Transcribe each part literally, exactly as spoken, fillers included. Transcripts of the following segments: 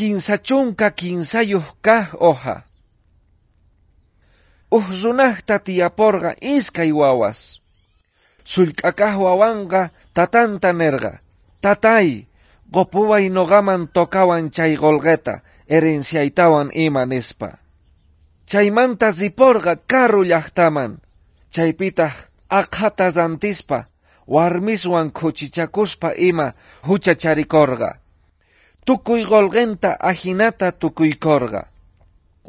Kinsa chunka kinsayuq kaq hoja. Uj runajta tiyaporqa iskay wawas. Sullk'akaj wawanqa tatanta nerqa: "Tatay, qopuway noqaman tocawan chay qolqeta, herenciaytawan ima", nispa. Chaymanta riporqa karu llajtaman, chaypitaj aqhata rantispa, warmiswan khuchichakuspa ima juchacharikorqa. Tukuy qolqenta ajinata tukuykorqa.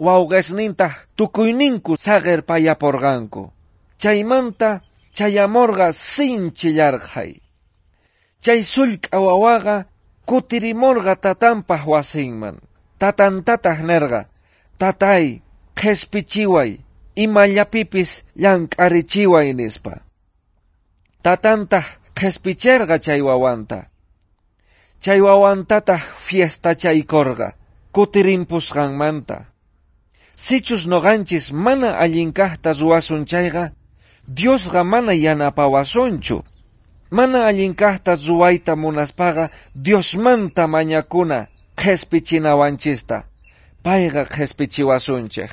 Wawqesnintaj tukuyninku saqerpayaporqanku. Chaymanta chayamorqa sinchi yarqhay. Chay sullk'a wawaqa kutirimorqa tatanpaj wasinman. Tatantataj nerqa: "Tatay, qhespichiway, imallapipis llank'arichiway", nispa. Tatantaj qhespicherqa chay wawanta. Chay wawantataj fiestachaykorqa kutirimpusqanmanta. Sichus noqanchis mana allinkajta ruwasun chayqa, Diosqa mana yanapawasunchu. Mana allinkajta ruwayta munaspaqa Diosmanta mañakuna qhespichinawanchista. Payqa qhespichiwasunchej.